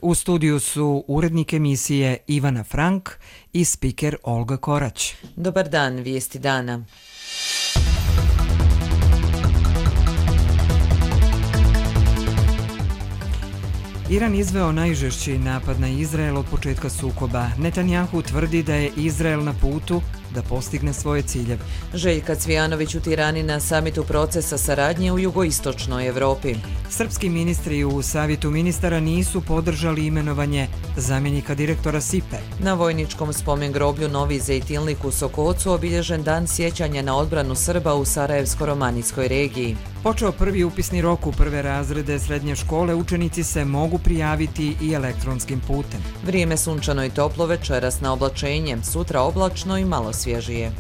U studiju su urednik emisije Ivana Frank i spiker Olga Korać. Dobar dan, vijesti dana. Iran izveo najžešći napad na Izrael od početka sukoba. Netanjahu tvrdi da je Izrael na putu da postigne svoje ciljeve. Željka Cvijanović u Tirani na samitu procesa saradnje u jugoistočnoj Evropi. Srpski ministri u Savjetu ministara nisu podržali imenovanje zamjenika direktora SIPE. Na vojničkom spomen groblju Novi Zejtilnik u Sokocu obilježen dan sjećanja na odbranu Srba u Sarajevsko-romanijskoj regiji. Počeo prvi upisni rok u prve razrede srednje škole, učenici se mogu prijaviti i elektronskim putem. Vrijeme sunčano i toplo, večeras na oblačenje, sutra oblačno i malo svježije.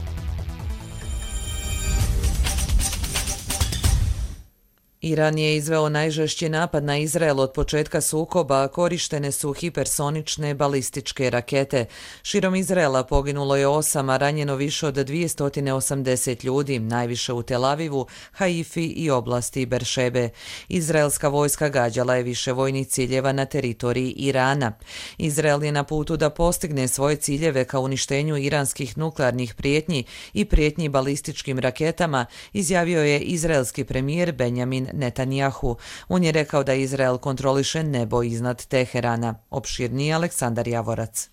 Iran je izveo najžešći napad na Izrael od početka sukoba, korištene su hipersonične balističke rakete. Širom Izraela poginulo je 8, a ranjeno više od 280 ljudi, najviše u Tel Avivu, Haifi i oblasti Beršebe. Izraelska vojska gađala je više vojnih ciljeva na teritoriji Irana. Izrael je na putu da postigne svoje ciljeve ka uništenju iranskih nuklearnih prijetnji i prijetnji balističkim raketama, izjavio je izraelski premijer Benjamin Netanjahu. On je rekao da Izrael kontroliše nebo iznad Teherana. Opširniji Aleksandar Javorac.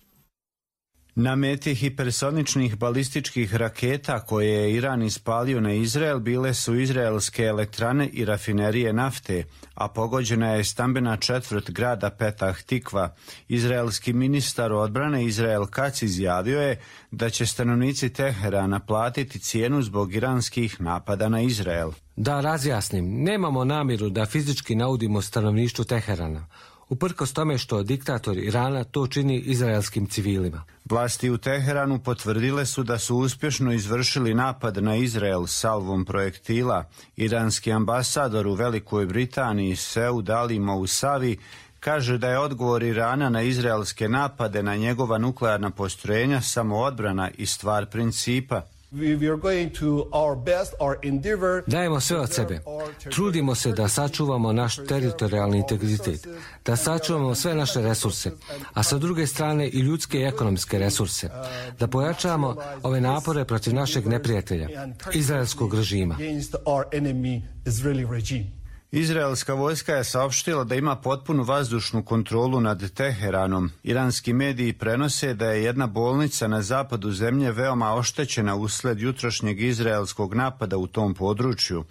Na meti hipersoničnih balističkih raketa koje je Iran ispalio na Izrael bile su izraelske elektrane i rafinerije nafte, a pogođena je stambena četvrt grada Petah Tikva. Izraelski ministar odbrane Israel Katz izjavio je da će stanovnici Teherana platiti cijenu zbog iranskih napada na Izrael. Da razjasnim, nemamo namjeru da fizički naudimo stanovništvu Teherana, uprkos tome što diktator Irana to čini izraelskim civilima. Vlasti u Teheranu potvrdile su da su uspješno izvršili napad na Izrael salvom projektila. Iranski ambasador u Velikoj Britaniji Seud Ali Mousavi kaže da je odgovor Irana na izraelske napade na njegova nuklearna postrojenja samo odbrana i stvar principa. Dajemo sve od sebe. Trudimo se da sačuvamo naš teritorijalni integritet, da sačuvamo sve naše resurse, a sa druge strane i ljudske i ekonomske resurse, da pojačamo ove napore protiv našeg neprijatelja, izraelskog režima. Izraelska vojska je saopštila da ima potpunu vazdušnu kontrolu nad Teheranom. Iranski mediji prenose da je jedna bolnica na zapadu zemlje veoma oštećena usled jutrošnjeg izraelskog napada u tom području.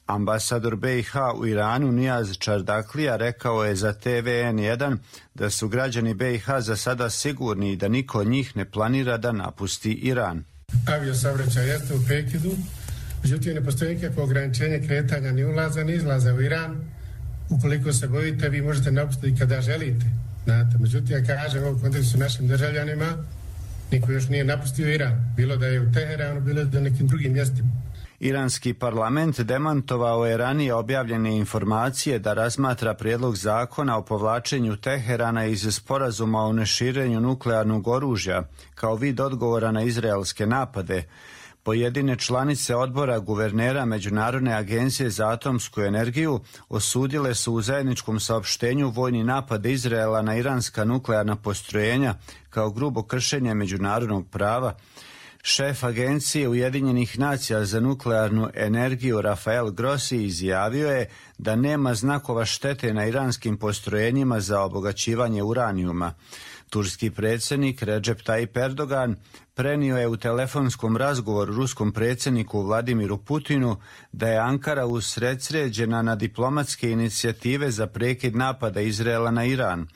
Ambasador BiH u Iranu Nijaz Čardaklija rekao je za TVN1 da su građani BiH za sada sigurni i da niko od njih ne planira da napusti Iran. Aviosaobraćaj jeste u prekidu. Međutim, ne postoji nikakvo ograničenje kretanja ni ulaza ni izlaza u Iran. Ukoliko se bojite, vi možete napustiti kada želite. Znate, međutim, ja kažem u kontekstu našim državljanima, niko još nije napustio Iran. Bilo da je u Teheranu, bilo da nekim drugim mjestima. Iranski parlament demantovao je ranije objavljene informacije da razmatra prijedlog zakona o povlačenju Teherana iz sporazuma o neširenju nuklearnog oružja kao vid odgovora na izraelske napade. Pojedine članice odbora guvernera Međunarodne agencije za atomsku energiju osudile su u zajedničkom saopštenju vojni napad Izraela na iranska nuklearna postrojenja kao grubo kršenje međunarodnog prava. Šef Agencije Ujedinjenih nacija za nuklearnu energiju Rafael Grossi izjavio je da nema znakova štete na iranskim postrojenjima za obogaćivanje uranijuma. Turski predsjednik Recep Tayyip Erdogan prenio je u telefonskom razgovoru ruskom predsjedniku Vladimiru Putinu da je Ankara usredsređena na diplomatske inicijative za prekid napada Izraela na Iran.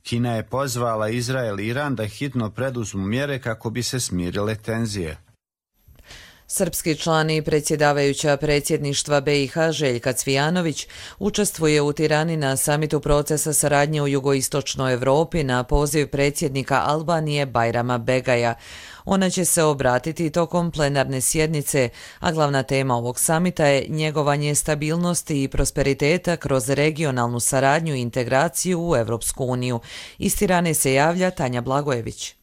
Kina je pozvala Izrael i Iran da hitno preduzmu mjere kako bi se smirile tenzije. Srpski član i predsjedavajuća predsjedništva BiH Željka Cvijanović učestvuje u Tirani na samitu procesa saradnje u jugoistočnoj Evropi na poziv predsjednika Albanije Bajrama Begaja. Ona će se obratiti tokom plenarne sjednice, a glavna tema ovog samita je njegovanje stabilnosti i prosperiteta kroz regionalnu saradnju i integraciju u Evropsku uniju. Iz Tirane se javlja Tanja Blagojević.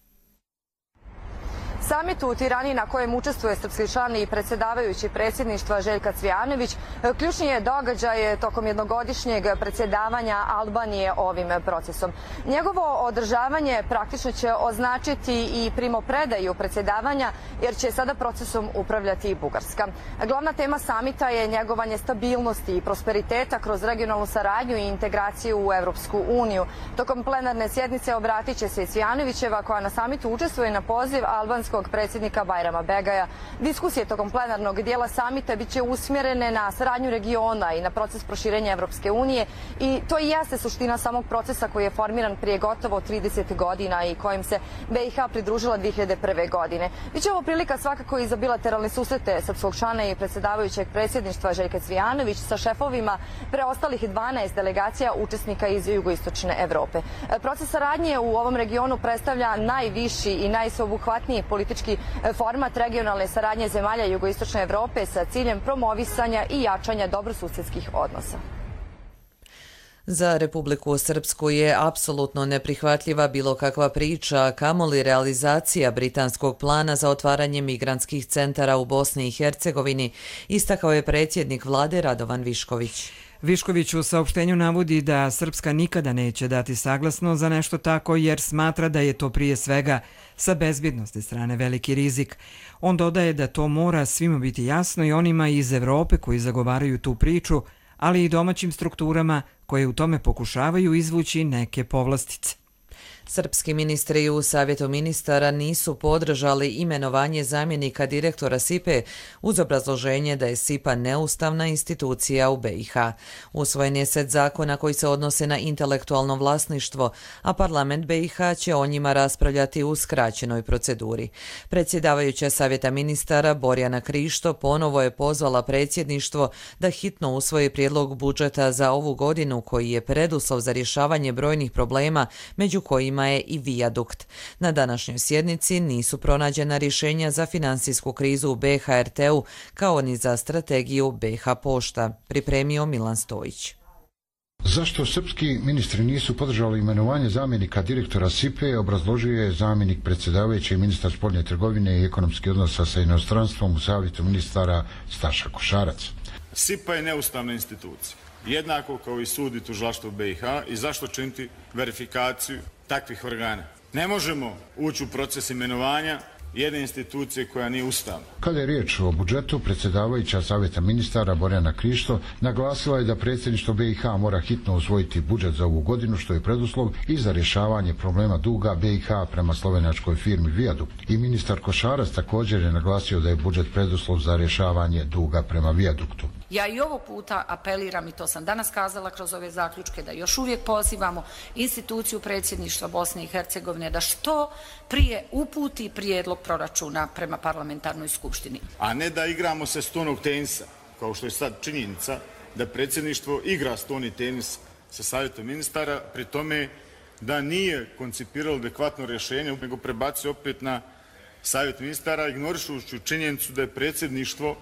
Samit u Tirani na kojem učestvuje srpski član i predsjedavajući predsjedništva Željka Cvijanović ključni je događaj tokom jednogodišnjeg predsjedavanja Albanije ovim procesom. Njegovo održavanje praktično će označiti i primopredaju predsjedavanja jer će sada procesom upravljati i Bugarska. Glavna tema samita je njegovanje stabilnosti i prosperiteta kroz regionalnu saradnju i integraciju u Evropsku uniju. Tokom plenarne sjednice obratit će se i Cvijanovićeva koja na samitu učestvuje na poziv albanskog predsjednika Bajrama Begaja. Diskusije tokom plenarnog dijela samita biće usmjerene na saradnju regiona i na proces proširenja Evropske unije i to i jeste suština samog procesa koji je formiran prije gotovo 30 godina i kojim se BiH pridružila 2001. godine. Biće ovo prilika svakako i za bilateralne susrete srpskog člana i predsjedavajućeg predsjedništva Željka Cvijanović sa šefovima preostalih 12 delegacija učesnika iz jugoistočne Evrope. Proces saradnje u ovom regionu predstavlja najviši i najsveobuhvatniji politički format regionalne saradnje zemalja jugoistočne Evrope sa ciljem promovisanja i jačanja dobrosusedskih odnosa. Za Republiku Srpsku je apsolutno neprihvatljiva bilo kakva priča, kamoli realizacija britanskog plana za otvaranje migrantskih centara u Bosni i Hercegovini, istakao je predsjednik vlade Radovan Višković. Višković u saopštenju navodi da Srpska nikada neće dati saglasnost za nešto tako jer smatra da je to prije svega sa bezbjednosti strane veliki rizik. On dodaje da to mora svima biti jasno i onima iz Evrope koji zagovaraju tu priču, ali i domaćim strukturama koje u tome pokušavaju izvući neke povlastice. Srpski ministri u Savjetu ministara nisu podržali imenovanje zamjenika direktora SIPA uz obrazloženje da je SIPA neustavna institucija u BiH. Usvojen je set zakona koji se odnose na intelektualno vlasništvo, a parlament BiH će o njima raspravljati u skraćenoj proceduri. Predsjedavajuća Savjeta ministara Borjana Krišto ponovo je pozvala predsjedništvo da hitno usvoji prijedlog budžeta za ovu godinu koji je preduslov za rješavanje brojnih problema, među kojima je i vijadukt. Na današnjoj sjednici nisu pronađena rješenja za finansijsku krizu u BHRT-u kao ni za strategiju BiH Pošta, pripremio Milan Stojić. Zašto srpski ministri nisu podržali imenovanje zamjenika direktora SIPA, obrazložio je zamjenik predsjedavajući i ministar spoljne trgovine i ekonomskih odnosa sa inostranstvom u Savjetu ministara Staša Košarac. SIPA je neustavna institucija, jednako kao i sud i tužilaštvo BiH, i zašto činiti verifikaciju takvih organa. Ne možemo ući u proces imenovanja jedne institucije koja nije ustavna. Kada je riječ o budžetu, predsjedavajuća Savjeta ministara Borjana Krišto naglasila je da predsjedništvo BiH mora hitno usvojiti budžet za ovu godinu, što je preduslov i za rješavanje problema duga BiH prema slovenačkoj firmi Viadukt. I ministar Košarac također je naglasio da je budžet preduslov za rješavanje duga prema Viaduktu. Ja i ovog puta apeliram, i to sam danas kazala kroz ove zaključke, da još uvijek pozivamo instituciju predsjedništva Bosne i Hercegovine da što prije uputi prijedlog proračuna prema parlamentarnoj skupštini. A ne da igramo se stonog tenisa, kao što je sad činjenica da predsjedništvo igra stoni tenis sa Savjetom ministara, pri tome da nije koncipiralo adekvatno rješenje, nego prebacuje opet na Savjet ministara, ignorišući činjenicu da je predsjedništvo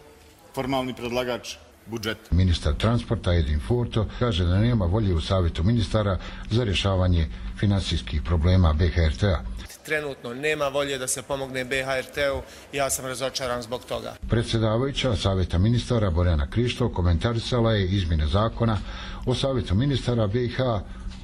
formalni predlagač budžeta. Ministar transporta Edin Furto kaže da nema volje u Savjetu ministara za rješavanje finansijskih problema BHRT-a. Trenutno nema volje da se pomogne BHRT-u, ja sam razočaran zbog toga. Predsjedavajuća Savjeta ministara Borjana Krišto komentarisala je izmjene zakona o Savjetu ministara BiH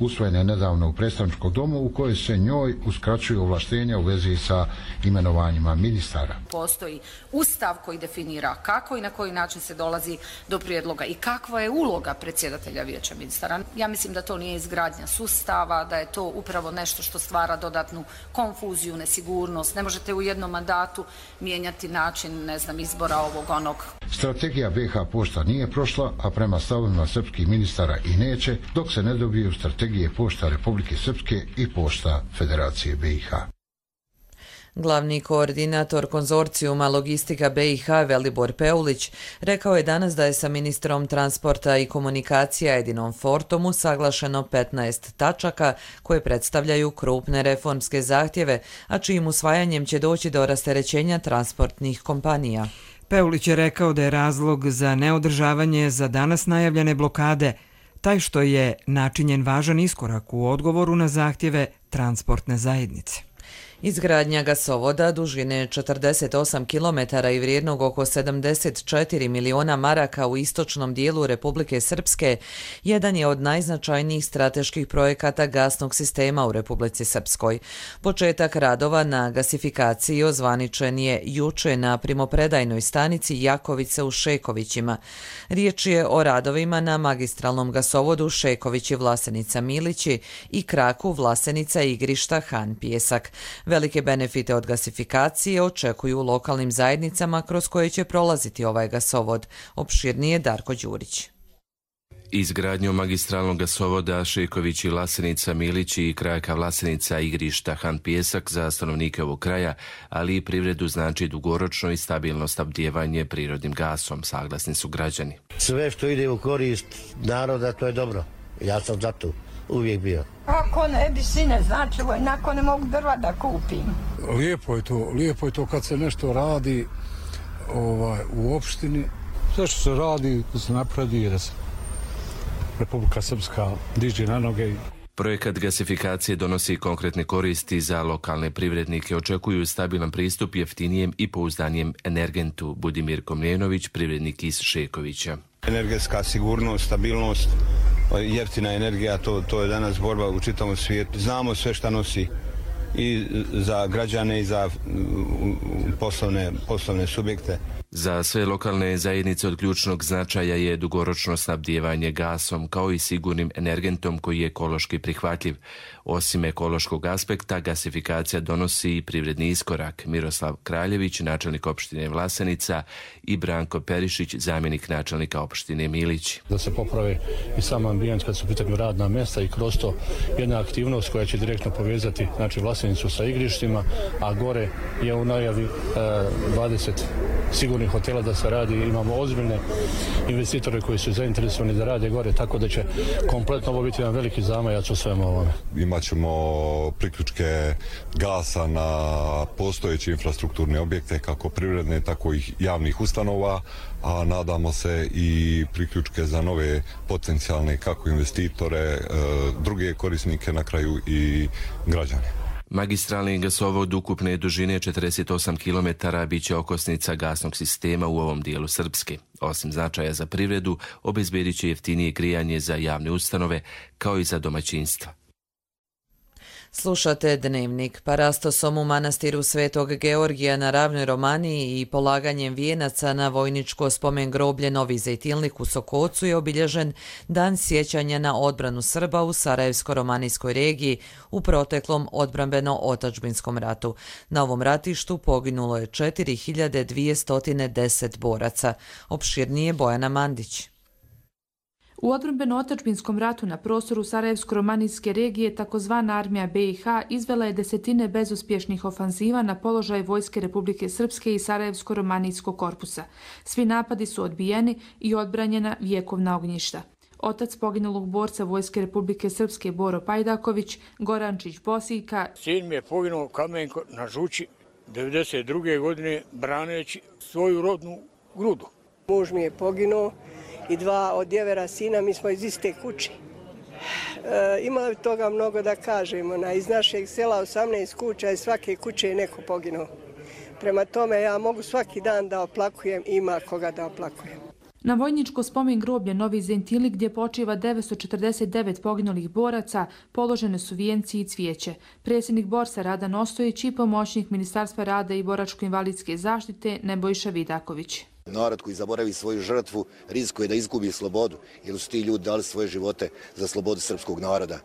usvojene nedavno u predstavničkom domu u kojoj se njoj uskraćuju ovlaštenja u vezi sa imenovanjima ministara. Postoji ustav koji definira kako i na koji način se dolazi do prijedloga i kakva je uloga predsjedatelja vijeća ministara. Ja mislim da to nije izgradnja sustava, da je to upravo nešto što stvara dodatnu konfuziju, nesigurnost. Ne možete u jednom mandatu mijenjati način, izbora ovog onog. Strategija BiH Pošta nije prošla, a prema stavovima srpskih ministara i neće, dok se ne dobiju strategije Pošta Republike Srpske i Pošta Federacije BiH. Glavni koordinator konzorcijuma Logistika BiH Velibor Peulić rekao je danas da je sa ministrom transporta i komunikacija Edinom Fortom usaglašeno 15 tačaka koje predstavljaju krupne reformske zahtjeve, a čijim usvajanjem će doći do rasterećenja transportnih kompanija. Peulić je rekao da je razlog za neodržavanje za danas najavljene blokade taj što je načinjen važan iskorak u odgovoru na zahtjeve transportne zajednice. Izgradnja gasovoda dužine 48 km i vrijednog oko 74 miliona maraka u istočnom dijelu Republike Srpske jedan je od najznačajnijih strateških projekata gasnog sistema u Republici Srpskoj. Početak radova na gasifikaciji ozvaničen je juče na primopredajnoj stanici Jakovice u Šekovićima. Riječ je o radovima na magistralnom gasovodu Šekovići-Vlasenica-Milići i kraku Vlasenica-Igrišta-Han Pijesak. Velike benefite od gasifikacije očekuju u lokalnim zajednicama kroz koje će prolaziti ovaj gasovod. Opširnije Darko Đurić. Izgradnjom magistralnog gasovoda Šekovići-Vlasenica-Milići i krajka Vlasenica-Igrišta-Han Pijesak za stanovnike ovog kraja, ali i privredu znači dugoročno i stabilno snabdijevanje prirodnim gasom, saglasni su građani. Sve što ide u korist naroda, to je dobro. Ja sam za to uvijek bio. Ako ne bi sine značilo, inako ne mogu drva da kupim. Lijepo je to kad se nešto radi u opštini. Sve što se radi, da se napravi, da se Republika Srpska diže na noge. Projekat gasifikacije donosi konkretne koristi za lokalne privrednike. Očekuju stabilan pristup jeftinijem i pouzdanijem energentu. Budimir Komljenović, privrednik iz Šekovića. Energetska sigurnost, stabilnost, jeftina energija, to je danas borba u čitavom svijetu. Znamo sve šta nosi i za građane i za poslovne subjekte. Za sve lokalne zajednice od ključnog značaja je dugoročno snabdijevanje gasom kao i sigurnim energentom koji je ekološki prihvatljiv. Osim ekološkog aspekta, gasifikacija donosi i privredni iskorak. Miroslav Kraljević, načelnik opštine Vlasenica, i Branko Perišić, zamjenik načelnika opštine Milići. Da se poprave i sam ambijent kad su u pitanju radna mjesta i kroz to jedna aktivnost koja će direktno povezati Vlasenicu sa igrištima, a gore je u najavi 20 sigurnih hotela da se radi. Imamo ozbiljne investitore koji su zainteresovani da rade gore, tako da će kompletno ovo biti jedan veliki zamajac u svemu ovome. Imaćemo priključke gasa na postojeće infrastrukturne objekte, kako privredne, tako i javnih ustanova, a nadamo se i priključke za nove potencijalne kako investitore, druge korisnike, na kraju i građane. Magistralni gasovod ukupne dužine 48 km bit će okosnica gasnog sistema u ovom dijelu Srpske. Osim značaja za privredu, obezbedit će jeftinije grijanje za javne ustanove kao i za domaćinstva. Slušate Dnevnik. Parastosom u manastiru Svetog Georgija na Ravnoj Romaniji i polaganjem vijenaca na vojničko spomen groblje Novi Zejtilnik u Sokocu je obilježen dan sjećanja na odbranu Srba u Sarajevsko-romanijskoj regiji u proteklom odbrambeno-otačbinskom ratu. Na ovom ratištu poginulo je 4210 boraca. Opširnije Bojana Mandić. U odbrambeno-otačbinskom ratu na prostoru Sarajevsko-romanijske regije takozvana armija BiH izvela je desetine bezuspješnih ofanziva na položaj vojske Republike Srpske i Sarajevsko-romanijskog korpusa. Svi napadi su odbijeni i odbranjena vjekovna ognjišta. Otac poginulog borca vojske Republike Srpske Boro Pajdaković, Gorančić Bosijka. Sin mi je poginuo Kamenko na Žući 1992. godine braneći svoju rodnu grudu. Muž mi je poginuo i dva od djevera sina, mi smo iz iste kuće. Ima toga mnogo da kažemo. Iz našeg sela 18 kuća i svake kuće je neko poginuo. Prema tome ja mogu svaki dan da oplakujem, ima koga da oplakujem. Na vojničko spomen groblje Novi Zejtilnik gdje počiva 949 poginulih boraca položene su vijenci i cvijeće. Predsjednik Borsa Radan Ostojić i pomoćnik Ministarstva rada i boračko-invalidske zaštite Nebojša Vidaković. Narod koji zaboravi svoju žrtvu rizikuje da izgubi slobodu, jer su ti ljudi dali svoje živote za slobodu srpskog naroda.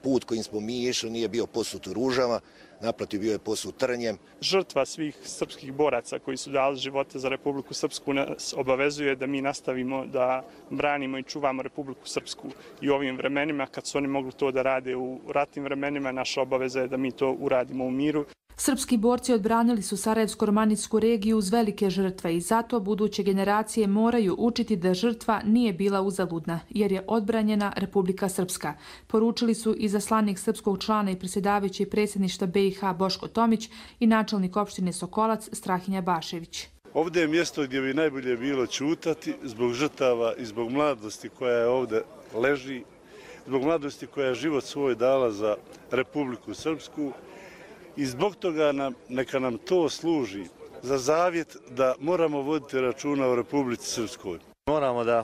Put kojim smo mi išli nije bio posut ružama, naprotiv bio je posut trnjem. Žrtva svih srpskih boraca koji su dali živote za Republiku Srpsku nas obavezuje da mi nastavimo da branimo i čuvamo Republiku Srpsku i u ovim vremenima. Kad su oni mogli to da rade u ratnim vremenima, naša obaveza je da mi to uradimo u miru. Srpski borci odbranili su Sarajevsko-romanijsku regiju uz velike žrtve i zato buduće generacije moraju učiti da žrtva nije bila uzaludna, jer je odbranjena Republika Srpska. Poručili su izaslanik srpskog člana i predsjedavajući predsjedništva BiH Boško Tomić i načelnik opštine Sokolac Strahinja Bašević. Ovdje je mjesto gdje bi najbolje bilo ćutati zbog žrtava i zbog mladosti koja je ovdje leži, zbog mladosti koja je život svoj dala za Republiku Srpsku I zbog toga neka nam to služi za zavjet da moramo voditi računa o Republici Srpskoj. Moramo da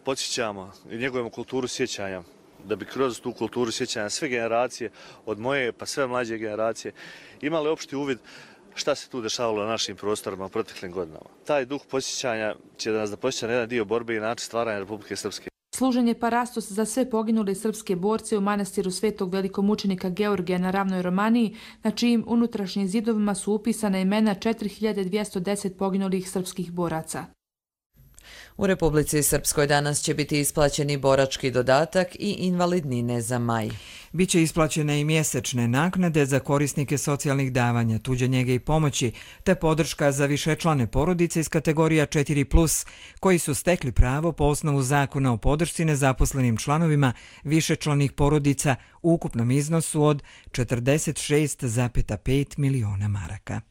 podsjećamo i njegujemo kulturu sjećanja, da bi kroz tu kulturu sjećanja sve generacije, od moje pa sve mlađe generacije, imali opšti uvid šta se tu dešavalo na našim prostorima u proteklim godinama. Taj duh podsjećanja će da nas da podsjeća na jedan dio borbe i način stvaranja Republike Srpske. Služen je parastos za sve poginule srpske borce u manastiru Svetog velikomučenika Georgija na Ravnoj Romaniji, na čijim unutrašnjim zidovima su upisana imena 4210 poginulih srpskih boraca. U Republici Srpskoj danas će biti isplaćeni borački dodatak i invalidnine za maj. Biće isplaćene i mjesečne naknade za korisnike socijalnih davanja, tuđe njege i pomoći, te podrška za višečlane porodice iz kategorija 4+, koji su stekli pravo po osnovu zakona o podršci nezaposlenim članovima višečlanih porodica u ukupnom iznosu od 46,5 miliona maraka.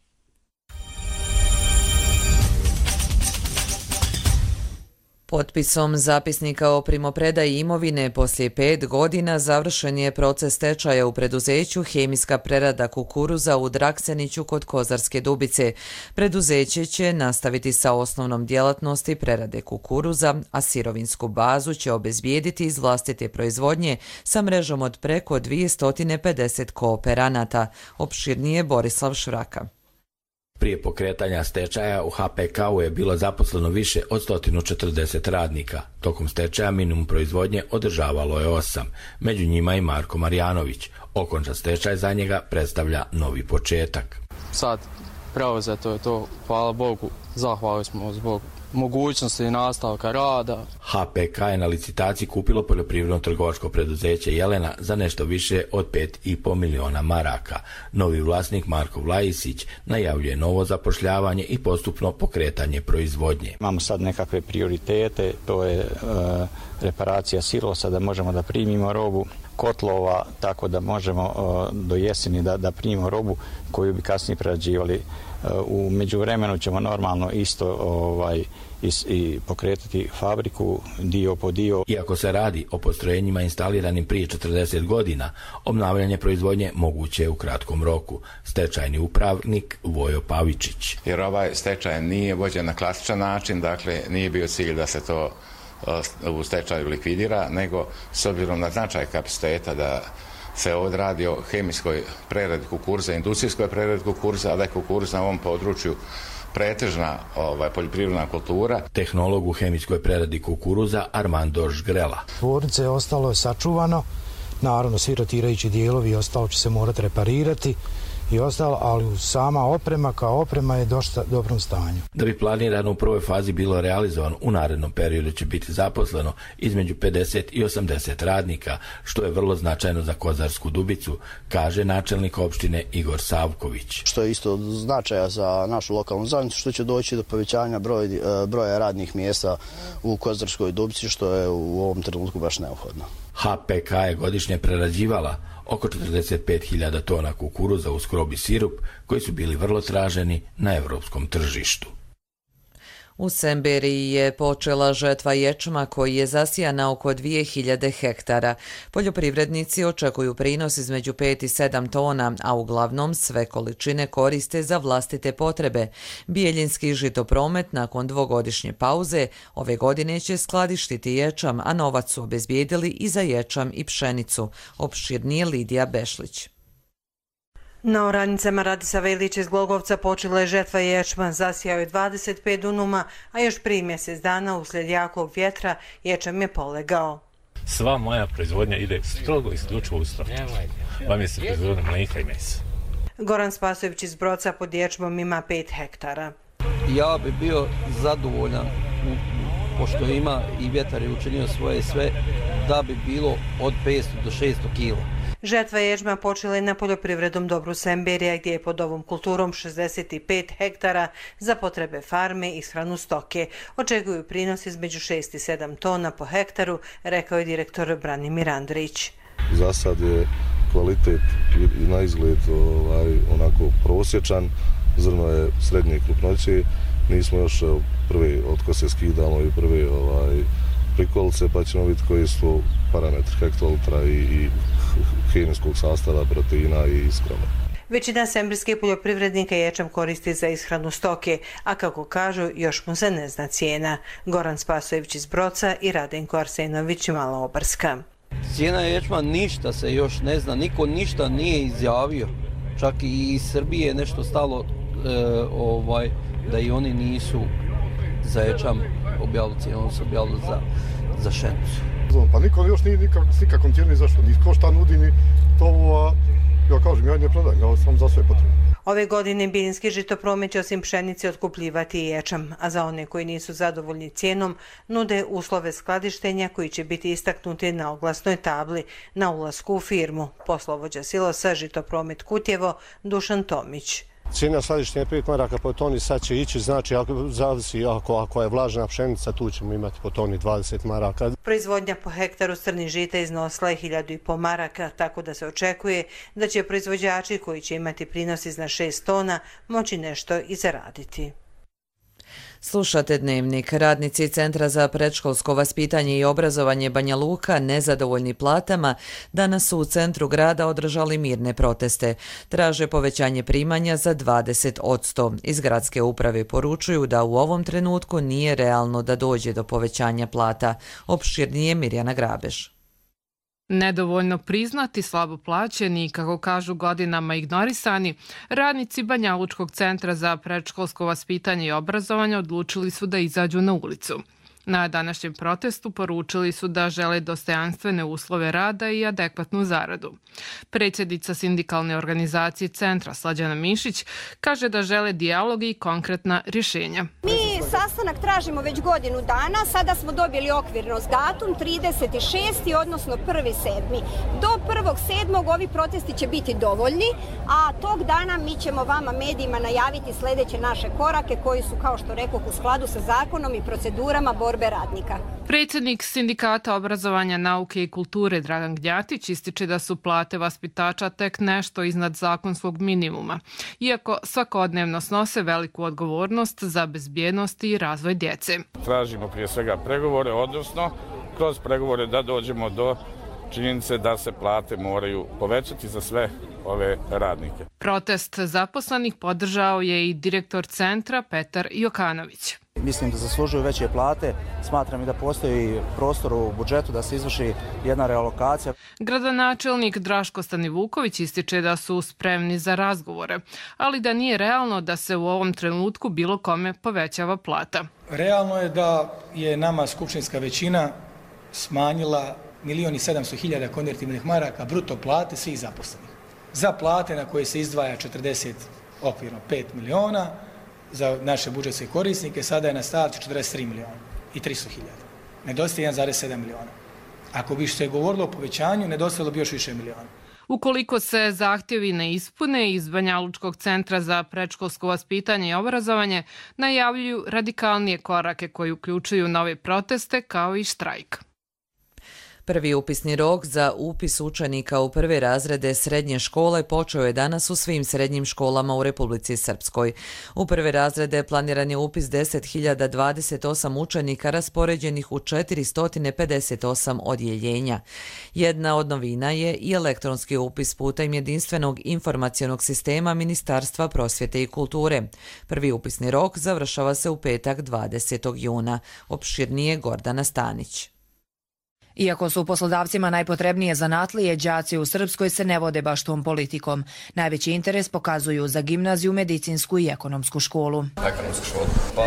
Potpisom zapisnika o primopredaji imovine poslije 5 godina završen je proces stečaja u preduzeću Hemijska prerada kukuruza u Drakseniću kod Kozarske Dubice. Preduzeće će nastaviti sa osnovnom djelatnosti prerade kukuruza, a sirovinsku bazu će obezbijediti iz vlastite proizvodnje sa mrežom od preko 250 kooperanata. Opširnije Borislav Šuraka. Prije pokretanja stečaja u HPK-u je bilo zaposleno više od 140 radnika. Tokom stečaja minimum proizvodnje održavalo je 8, među njima i Marko Marjanović. Okončan stečaj za njega predstavlja novi početak. Sad preuzeto je to, hvala Bogu, zahvali smo zbog mogućnosti nastavka rada. HPK je na licitaciji kupilo poljoprivredno trgovačko preduzeće Jelena za nešto više od 5,5 miliona maraka. Novi vlasnik Marko Vlajisić najavljuje novo zapošljavanje i postupno pokretanje proizvodnje. Imamo sad nekakve prioritete, to je reparacija silosa, da možemo da primimo robu, kotlova, tako da možemo do jeseni da primimo robu koju bi kasnije prerađivali. U međuvremenu ćemo normalno isto i pokretati fabriku dio po dio. Iako se radi o postrojenjima instaliranim prije 40 godina, obnavljanje proizvodnje moguće je u kratkom roku. Stečajni upravnik Vojo Pavičić. Jer ovaj stečaj nije vođen na klasičan način, dakle nije bio cilj da se to u stečaju likvidira, nego s obzirom na značaj kapaciteta da se ovdje radi o hemijskoj preradi kukuruza, industrijskoj preradi kukuruza, a da je kukuruz na ovom području pretežna poljoprivredna kultura. Tehnolog u hemijskoj preradi kukuruza Armando Žgrela. Tvornice je ostalo sačuvano, naravno svi rotirajući dijelovi ostalo će se morati reparirati i ostalo, ali sama oprema kao oprema je dosta dobrom stanju. Da bi planirano u prvoj fazi bilo realizovano, u narednom periodu će biti zaposleno između 50 i 80 radnika, što je vrlo značajno za Kozarsku Dubicu, kaže načelnik opštine Igor Savković. Što je isto značaja za našu lokalnu zajednicu, što će doći do povećanja broja radnih mjesta u Kozarskoj Dubici, što je u ovom trenutku baš neophodno. HPK je godišnje prerađivala oko 45.000 tona kukuruza uz skrob i sirup, koji su bili vrlo traženi na evropskom tržištu. U Semberiji je počela žetva ječma koji je zasijan na oko 2000 hektara. Poljoprivrednici očekuju prinos između 5 i 7 tona, a uglavnom sve količine koriste za vlastite potrebe. Bijeljinski žitopromet nakon dvogodišnje pauze ove godine će skladištiti ječam, a novac su obezbijedili i za ječam i pšenicu. Opširnije Lidija Bešlić. Na oranicama Radisava Ilića iz Glogovca počela je žetva ječma, zasijao je 25 dunuma, a još prije mjesec dana uslijed jakog vjetra ječam je polegao. Sva moja proizvodnja ide strogo isključivo u stočarstvo. Vam je se proizvodnja mlijeka i mesa. Goran Spasojević iz Broca pod ječmom ima 5 hektara. Ja bi bio zadovoljan, pošto ima i vjetar je učinio svoje sve, da bi bilo od 500 do 600 kila. Žetva ječma počela je na poljoprivrednom dobru Semberija, gdje je pod ovom kulturom 65 hektara za potrebe farme i ishranu stoke. Očekuju prinos između 6 i 7 tona po hektaru, rekao je direktor Branimir Andrić. Za sad je kvalitet na izgled onako prosječan, zrno je srednje krupnoće, nismo još prve otkose skidamo i prve prikolice, pa ćemo vidjeti koji su parametri hektolitra i hemijskog sastava, proteina i iskrama. Većina sembirskih poljoprivrednika ječam koristi za ishranu stoke, a kako kažu, još mu se ne zna cijena. Goran Spasojević iz Broca i Radenko Arsenović i Maloobarska. Cijena ječma ništa se još ne zna, niko ništa nije izjavio. Čak i iz Srbije nešto stalo da i oni nisu za ječam objavili cijenu, oni su objavili za pšenicu. Pa niko još nije nikakvom cijenu izašao, niko šta nudi, ni to, ja kažem, ja ne prodajem, ja sam za sve potrebno. Ove godine Bijeljinski žitopromet će osim pšenice otkupljivati i ječam, a za one koji nisu zadovoljni cijenom nude uslove skladištenja koji će biti istaknuti na oglasnoj tabli na ulasku u firmu. Poslovođa silosa Žitopromet Kutjevo Dušan Tomić. Cijena skladištenja 5 maraka po toni sad će ići, znači zavisi ako je vlažna pšenica, tu ćemo imati po toni 20 maraka. Proizvodnja po hektaru crnih žita iznosila je 1.500 maraka, tako da se očekuje da će proizvođači koji će imati prinos iznad 6 tona moći nešto i zaraditi. Slušate Dnevnik. Radnici Centra za predškolsko vaspitanje i obrazovanje Banja Luka, nezadovoljni platama, danas su u centru grada održali mirne proteste. Traže povećanje primanja za 20%. Iz gradske uprave poručuju da u ovom trenutku nije realno da dođe do povećanja plata. Opširnije Mirjana Grabež. Nedovoljno priznati, slabo plaćeni i, kako kažu, godinama ignorisani, radnici Banjalučkog centra za predškolsko vaspitanje i obrazovanje odlučili su da izađu na ulicu. Na današnjem protestu poručili su da žele dostojanstvene uslove rada i adekvatnu zaradu. Predsjednica sindikalne organizacije centra Slađana Mišić kaže da žele dijalog i konkretna rješenja. Mi sastanak tražimo već godinu dana, sada smo dobili okvirno datum 36. odnosno 1.7. Do 1.7. ovi protesti će biti dovoljni, a tog dana mi ćemo vama medijima najaviti sljedeće naše korake koji su, kao što rekoh, u skladu sa zakonom i procedurama borbe radnika. Predsjednik Sindikata obrazovanja, nauke i kulture Dragan Gnjatić ističe da su plate vaspitača tek nešto iznad zakonskog minimuma, iako svakodnevno snose veliku odgovornost za bezbjednost i razvoj djece. Tražimo prije svega pregovore, odnosno kroz pregovore da dođemo do činjenice da se plate moraju povećati za sve ove radnike. Protest zaposlenih podržao je i direktor centra Petar Jokanović. Mislim da zaslužuju veće plate, smatram i da postoji prostor u budžetu da se izvrši jedna realokacija. Gradonačelnik Draško Stanivuković ističe da su spremni za razgovore, ali da nije realno da se u ovom trenutku bilo kome povećava plata. Realno je da je nama skupštinska većina smanjila 1.700.000 konvertibilnih maraka bruto plate svih zaposlenih. Za plate na koje se izdvaja 40, okvirno 5 miliona, za naše budžetske korisnike sada je na stavci 43 miliona i 300.000. Nedostaje 1,7 miliona. Ako bi se govorilo o povećanju, nedostajalo bi još više miliona. Ukoliko se zahtjevi ne ispune, iz Banjalučkog centra za predškolsko vaspitanje i obrazovanje najavljuju radikalnije korake koji uključuju nove proteste kao i štrajk. Prvi upisni rok za upis učenika u prve razrede srednje škole počeo je danas u svim srednjim školama u Republici Srpskoj. U prve razrede planiran je upis 10.028 učenika raspoređenih u 458 odjeljenja. Jedna od novina je i elektronski upis putem jedinstvenog informacionog sistema Ministarstva prosvjete i kulture. Prvi upisni rok završava se u petak 20. juna. Opširnije Gordana Stanić. Iako su poslodavcima najpotrebnije zanatlije, đaci u Srpskoj se ne vode baš tom politikom. Najveći interes pokazuju za gimnaziju, medicinsku i ekonomsku školu. Ekonomsku školu? Pa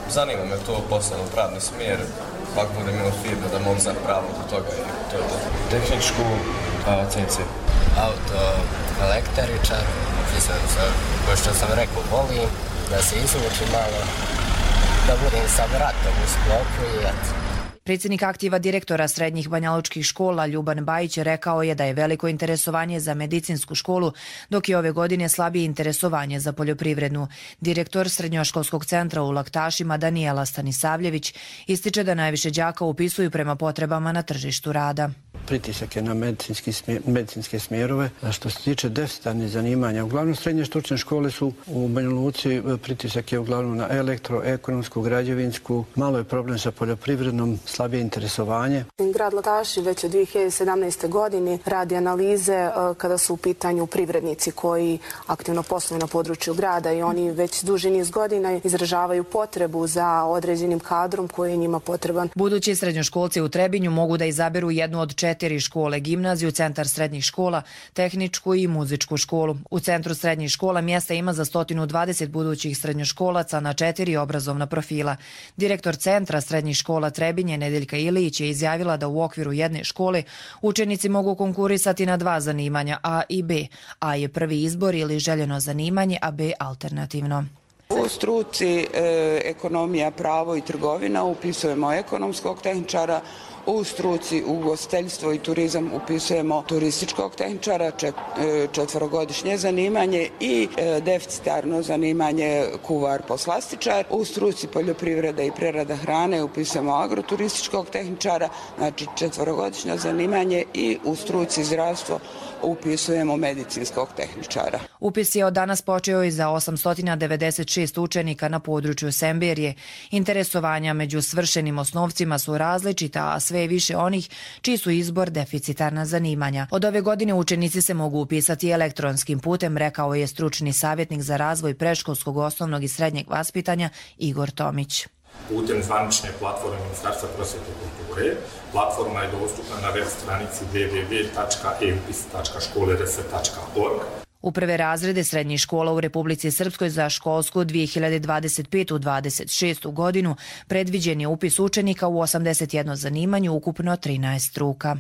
zanima me to posebno pravni smjer. Ako budem imao firmu da mogu za pravo do toga i to je to. Tehničku, CNC. Auto, električar, ko što sam rekao, volim da se izvuči malo, da budem sa bratom u sklopu i eto. Predsjednik aktiva direktora srednjih banjalučkih škola Ljuban Bajić rekao je da je veliko interesovanje za medicinsku školu, dok je ove godine slabije interesovanje za poljoprivrednu. Direktor srednjoškolskog centra u Laktašima Danijela Stanisavljević ističe da najviše đaka upisuju prema potrebama na tržištu rada. pritisak je na medicinske smjerove. A što se tiče deficitarnih zanimanja, uglavnom srednje stručne škole su u Banja Luci, pritisak je uglavnom na elektroekonomsku, građevinsku, malo je problem sa poljoprivrednom, slabije interesovanje. Grad Lakaši već od 2017. godine radi analize kada su u pitanju privrednici koji aktivno posluju na području grada i oni već duži niz godina izražavaju potrebu za određenim kadrom koji je njima potreban. Budući srednjoškolci u Trebinju mogu da izaberu jednu od 4 škole, gimnaziju, centar srednjih škola, tehničku i muzičku školu. U centru srednjih škola mjesta ima za 120 budućih srednjoškolaca na 4 obrazovna profila. Direktor centra srednjih škola Trebinje, Nedeljka Ilić, je izjavila da u okviru jedne škole učenici mogu konkurisati na 2 zanimanja, A i B. A je prvi izbor ili željeno zanimanje, a B alternativno. U struci ekonomija, pravo i trgovina upisujemo ekonomskog tehničara, u struci ugostiteljstvo i turizam upisujemo turističkog tehničara, 4-godišnje zanimanje i deficitarno zanimanje kuvar poslastičar. U struci poljoprivreda i prerada hrane upisujemo agroturističkog tehničara, znači 4-godišnje zanimanje i u struci zdravstvo upisujemo medicinskog tehničara. Upis je od danas počeo i za 896 učenika na području Semberije. Interesovanja među svršenim osnovcima su različita, a sve je više onih čiji su izbor deficitarna zanimanja. Od ove godine učenici se mogu upisati elektronskim putem, rekao je stručni savjetnik za razvoj predškolskog, osnovnog i srednjeg vaspitanja Igor Tomić. Putem zvanične platforme Ministarstva prosvjete i kulture. Platforma je dostupna na web stranici www.eupis.školeRS.org. U prve razrede srednjih škola u Republici Srpskoj za školsku 2025-26. godinu predviđen je upis učenika u 81 zanimanju, ukupno 13 struka.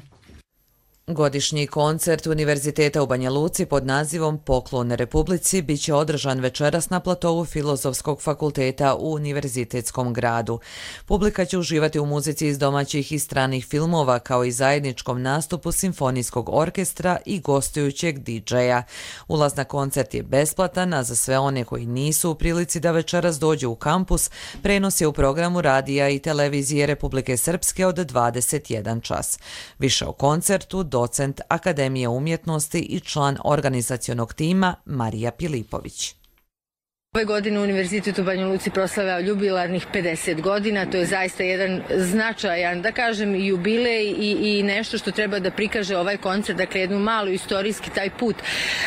Godišnji koncert Univerziteta u Banja Luci pod nazivom Poklon Republici biće održan večeras na platovu Filozofskog fakulteta u Univerzitetskom gradu. Publika će uživati u muzici iz domaćih i stranih filmova, kao i zajedničkom nastupu simfonijskog orkestra i gostujućeg DJ-a. Ulaz na koncert je besplatan, a za sve one koji nisu u prilici da večeras dođu u kampus, prenos je u programu radija i televizije Republike Srpske od 21 čas. Više o koncertu docent Akademije umjetnosti i član organizacionog tima Marija Pilipović. Ove godine Univerzitet u Banja Luci proslavlja jubilarnih 50 godina, to je zaista jedan značajan, da kažem, jubilej i nešto što treba da prikaže ovaj koncert, dakle jednu malu istorijski taj put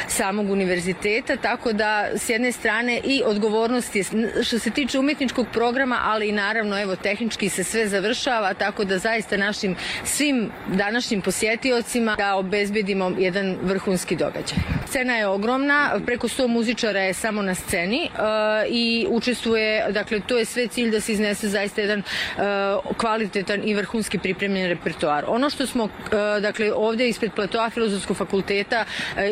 samog univerziteta, tako da s jedne strane i odgovornost je što se tiče umjetničkog programa, ali i naravno evo tehnički se sve završava, tako da zaista našim svim današnjim posjetiocima da obezbedimo jedan vrhunski događaj. Scena je ogromna, preko 100 muzičara je samo na sceni i učestvuje, dakle to je sve cilj da se iznese zaista jedan kvalitetan i vrhunski pripremljen repertoar. Ono što smo dakle ovdje ispred platoa Filozofskog fakulteta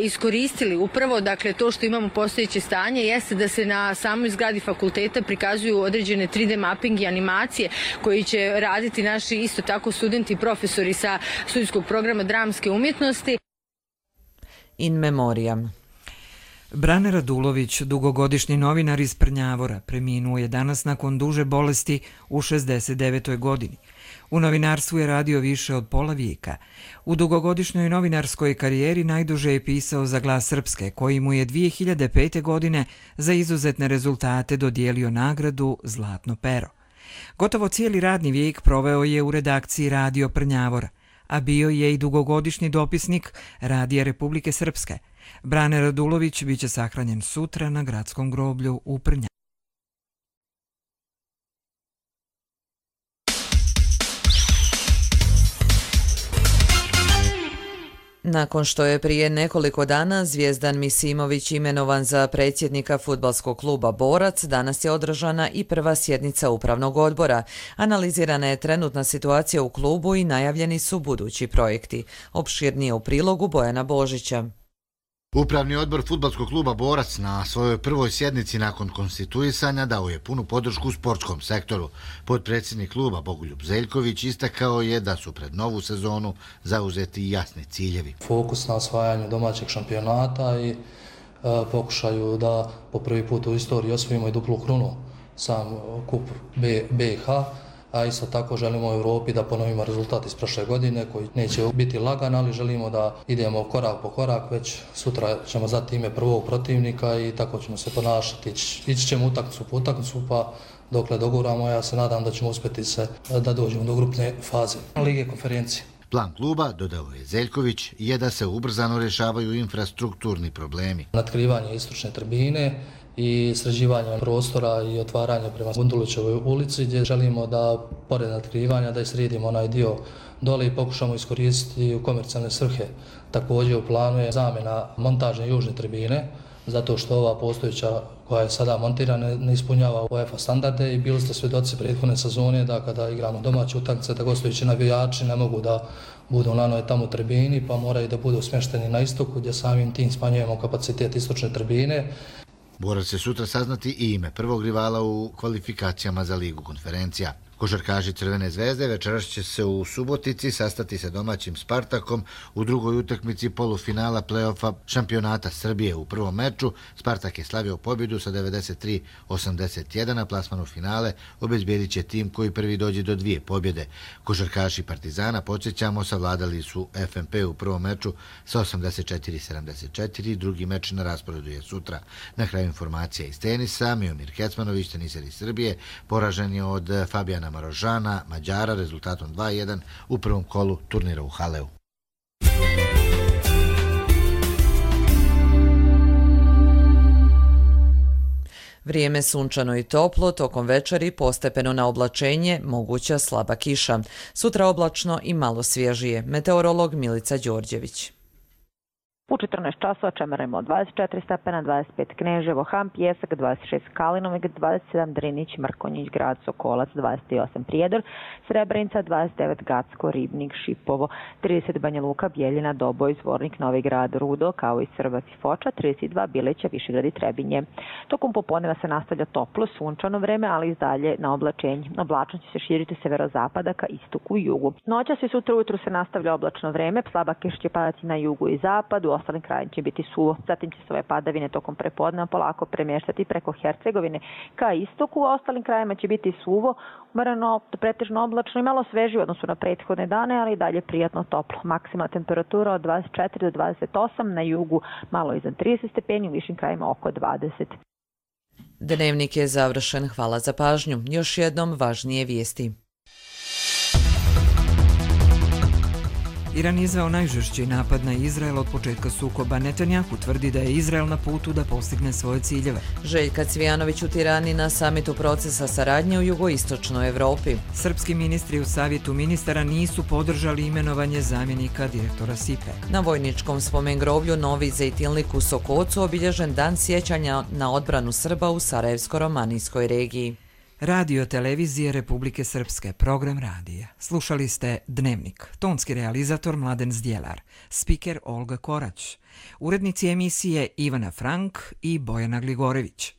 iskoristili upravo, dakle to što imamo postojeće stanje jeste da se na samoj zgradi fakulteta prikazuju određene 3D mapping i animacije koji će raditi naši isto tako studenti i profesori sa studijskog programa dramske umjetnosti. In memoriam. Brane Radulović, dugogodišnji novinar iz Prnjavora, preminuo je danas nakon duže bolesti u 69. godini. U novinarstvu je radio više od pola vijeka. U dugogodišnjoj novinarskoj karijeri najduže je pisao za Glas Srpske, koji mu je 2005. godine za izuzetne rezultate dodijelio nagradu Zlatno pero. Gotovo cijeli radni vijek proveo je u redakciji Radio Prnjavora, a bio je i dugogodišnji dopisnik Radija Republike Srpske. Brane Radulović biće sahranjen sutra na gradskom groblju u Prnjavoru. Nakon što je prije nekoliko dana Zvijezdan Misimović imenovan za predsjednika fudbalskog kluba Borac, danas je održana i prva sjednica upravnog odbora. Analizirana je trenutna situacija u klubu i najavljeni su budući projekti. Opširnije u prilogu Bojana Božića. Upravni odbor fudbalskog kluba Borac na svojoj prvoj sjednici nakon konstituisanja dao je punu podršku sportskom sektoru. Potpredsjednik kluba Bogoljub Zeljković istakao je da su pred novu sezonu zauzeti jasni ciljevi. Fokus na osvajanju domaćeg šampionata i pokušaju da po prvi put u istoriji osvojimo i duplu krunu sam kup BiH. a isto tako želimo u Europi da ponovimo rezultat iz prošle godine koji neće biti lagan, ali želimo da idemo korak po korak, već sutra ćemo znati ime prvog protivnika i tako ćemo se ponašati. Ići ćemo utakmicu po utakmicu, pa dokle doguramo, ja se nadam da ćemo uspjeti se da dođemo do grupne faze Lige konferencije. Plan kluba, dodao je Zeljković, je da se ubrzano rješavaju infrastrukturni problemi. Natkrivanje istočne tribine i sređivanje prostora i otvaranje prema Gundulićevoj ulici, gdje želimo da, pored natkrivanja, da sredimo onaj dio dole i pokušamo iskoristiti u komercijalne svrhe. Također u planu je zamjena montažne južne tribine, zato što ova postojeća koja je sada montirana ne ispunjava UEFA standarde i bili ste svjedoci prethodne sezone da kada igramo domaće utakmice da gostujući navijači ne mogu da budu na onoj tamo tribini, pa moraju da budu smješteni na istoku, gdje samim tim smanjujemo kapacitet istočne tribine. Borac će sutra saznati i ime prvog rivala u kvalifikacijama za Ligu konferencija. Košarkaši Crvene zvezde večeras će se u Subotici sastati sa domaćim Spartakom u drugoj utakmici polufinala play-offa šampionata Srbije. U prvom meču Spartak je slavio pobjedu sa 93-81, a plasman u finale obezbijedit će tim koji prvi dođe do 2 pobjede. Košarkaši Partizana, podsjećamo, savladali su FNP u prvom meču sa 84-74, drugi meč na rasporedu je sutra. Na kraju informacija iz tenisa, Miomir Kecmanović, teniser iz Srbije, poražen je od Fabijana Marožana, Mađara, rezultatom 2:1 u prvom kolu turnira u Haleu. Vrijeme sunčano i toplo, tokom večeri postepeno na oblačenje, moguća slaba kiša. Sutra oblačno i malo svježije. Meteorolog Milica Đorđević. U 14 časova čemeremo 24 stepena, 25 Kneževo, Ham, Pjesak, 26 Kalinovik, 27 Drinić, Mrkonjić, Grad Sokolac, 28 Prijedor, Srebrenica, 29 Gacko, Ribnik, Šipovo, 30 Banja Luka, Bjeljina, Doboj, Zvornik, Novi Grad, Rudo, kao i Srbac i Foča, 32 Bileća, Višegrad i Trebinje. Tokom popodneva se nastavlja toplo, sunčano vreme, ali i dalje na oblačenje. Oblačnost će se širiti severozapada ka istoku i jugu. Noćas i sutra ujutru se nastavlja oblačno vreme, slaba kiša će padati na jugu i zapadu, u ostalim krajima će biti suvo. Zatim će se ove padavine tokom prepodneva polako premještati preko Hercegovine ka istoku, u ostalim krajima će biti suvo, umereno, pretežno oblačno i malo svežije u odnosu na prethodne dane, ali i dalje prijatno toplo. Maksimalna temperatura od 24 do 28, na jugu malo iznad 30 stepeni, u višim krajima oko 20. Dnevnik je završen. Hvala za pažnju. Još jednom važnije vijesti. Iran je izveo najžešći napad na Izrael od početka sukoba. Netanjahu tvrdi da je Izrael na putu da postigne svoje ciljeve. Željka Cvijanović u Tirani na samitu procesa saradnje u jugoistočnoj Evropi. Srpski ministri u savjetu ministara nisu podržali imenovanje zamjenika direktora SIPE. Na vojničkom spomen groblju Novi Zejtilnik u Sokocu obilježen dan sjećanja na odbranu Srba u Sarajevsko-romanijskoj regiji. Radio televizije Republike Srpske, program radija. Slušali ste Dnevnik, tonski realizator Mladen Zdjelar, spiker Olga Korać, urednici emisije Ivana Frank i Bojana Gligorević.